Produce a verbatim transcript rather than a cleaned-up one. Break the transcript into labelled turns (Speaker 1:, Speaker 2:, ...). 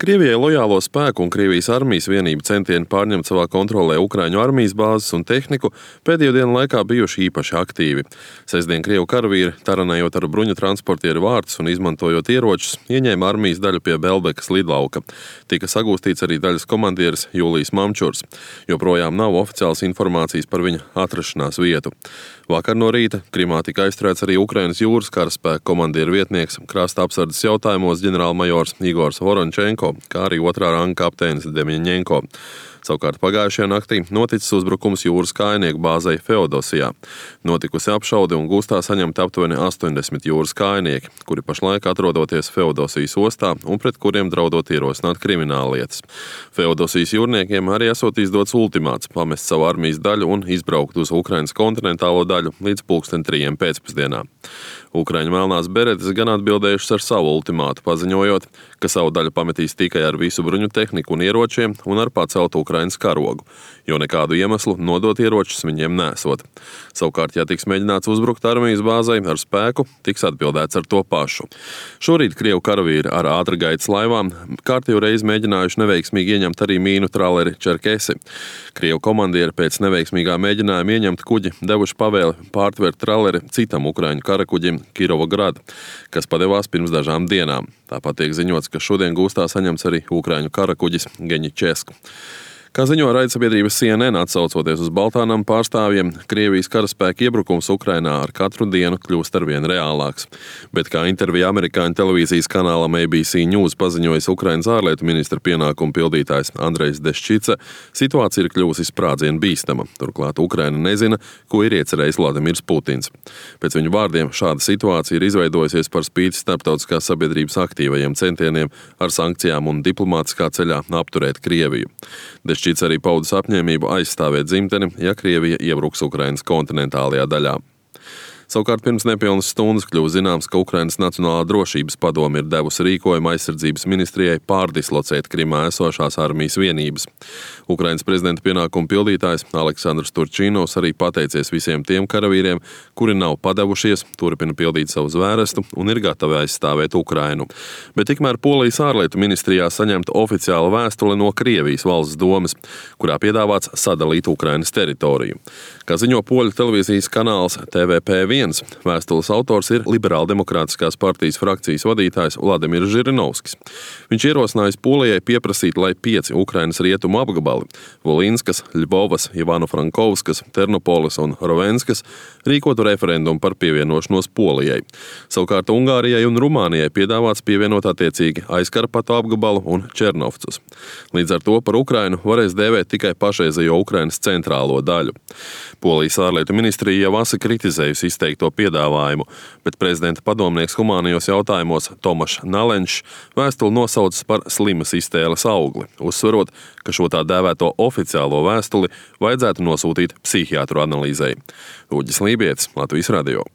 Speaker 1: Krievijai lojālo spēku un Krievijas armijas vienību centieni pārņemt savā kontrolē Ukraiņu armijas bāzes un tehniku pēdējo dienu laikā bijuši īpaši aktīvi. Sestdien Krievu karavīri, taranējot ar bruņu transportieru vārtus un izmantojot ieročus, ieņēma armijas daļu pie Belbekas lidlauka. Tika sagūstīts arī daļas komandieris Jūlijs Mamčurs. Joprojām nav oficiālas informācijas par viņa atrašanās vietu. Vakar no rīta Krimā tika aizturēts arī Ukrainas jūras karaspēka komandieru vietnieks, krasta apsardzes jautājumos ģenerālmajors Igors Vorončenko, kā arī otrā ranga kapteinis Demjaņenko. Savukārt pagājušajā naktī noticis uzbrukums jūras kājnieku bāzei Feodosijā. Notikusi apšaude un gūstā saņemti aptuveni astoņdesmit jūras kājnieki, kuri pašlaik atrodoties Feodosijas ostā un pret kuriem draudot ierosināt krimināllietas. Feodosijas jūrniekiem arī esot izdots ultimāts pamest savu armijas daļu un izbraukt uz Ukrainas kontinentālo daļu līdz pulksten trījiem pēcpusdienā. Ukraiņu melnās beretes gan atbildējušas ar savu ultimātu, paziņojot, ka savu daļu pametīs tikai ar visu bruņu tehniku un ieročiem un ar paceltu Ukrainas karogu, jo nekādu iemeslu nodot ieročus viņiem nesot. Savukārt, ja tiks mēģināts uzbrukt armijas bāzei ar spēku, tiks atbildēts ar to pašu. Šorīt Krievu karavīri ar ātrgaitas laivām kārtējo reizi mēģinājuši neveiksmīgi ieņemt arī mīnu traleri Čerkesi. Krievu komandieri pēc neveiksmīgā mēģinājuma ieņemt kuģi devuši pavēli pārtvert traleri citam ukraiņu karakuģim Kirovograd, kas padevās pirms dažām dienām. Tāpat tiek ziņots, ka šodien gūstā saņemts arī ukraiņu karakuģis Geņičesk. Kā ziņo raidsabiedrības C N N, atsaucoties uz Baltānam pārstāvjiem, Krievijas karaspēka iebrukums Ukrainā ar katru dienu kļūst arvien reālāks. Bet kā intervijā amerikāņu televīzijas kanālam A B C News paziņojis Ukrainas ārlietu ministra pienākumu pildītājs Andrejs Deščica, situācija ir kļuvusi sprādzienu bīstama. Turklāt Ukraina nezina, ko ir iecerējis Vladimirs Putins. Pēc viņu vārdiem šāda situācija ir izveidojusies par spīti starptautiskās sabiedrības aktīvajiem centieniem ar sankcijām un diplomātiskā ceļā apturēt Krieviju. Deščits arī paudis apņēmību aizstāvēt dzimteni, ja Krievija iebruks Ukrainas kontinentālajā daļā. Savukārt pirms nepilnas stundas kļuva zināms, ka Ukrainas Nacionālā drošības padome ir devusi rīkojumu aizsardzības ministrijai pārdislocēt Krimā esošās armijas vienības. Ukrainas prezidenta pienākumu pildītājs Aleksandrs Turčinovs arī pateicies visiem tiem karavīriem, kuri nav padevušies, turpina pildīt savu zvērestu un ir gatavi aizstāvēt Ukrainu. Bet tikmēr Polijas ārlietu ministrijā saņemta oficiāla vēstule no Krievijas valsts domes, kurā piedāvāts sadalīt Ukrainas teritoriju. Kā ziņo poļu televīzijas kanāls T V P viens, vēstules autors ir Liberāldemokrātiskās partijas frakcijas vadītājs Vladimirs Žirinovskis. Viņš ierosinājis Polijai pieprasīt, lai pieci Ukrainas rietumu apgabali – Volīnskas, Ļbovas, Ivano-Frankovskas, Ternopolis un Rovenskas – rīkotu referendumu par pievienošanos Polijai. Savukārt Ungārijai un Rumānijai piedāvāts pievienot attiecīgi Aizkarpatu apgabalu un Černovcus. Līdz ar to par Ukrainu varēs dēvēt tikai pašreizējo Ukrainas centrālo daļu. Polijas ārlietu ministrija jau asi kritizējusi izteikto piedāvājumu, bet prezidenta padomnieks humānajos jautājumos Tomašs Nalenčs vēstuli nosaucis par slimas iztēles augli, uzsverot, ka šo tā dēvēto oficiālo vēstuli vajadzētu nosūtīt psihiatru analīzei. Uģis Lībietis, Latvijas radio.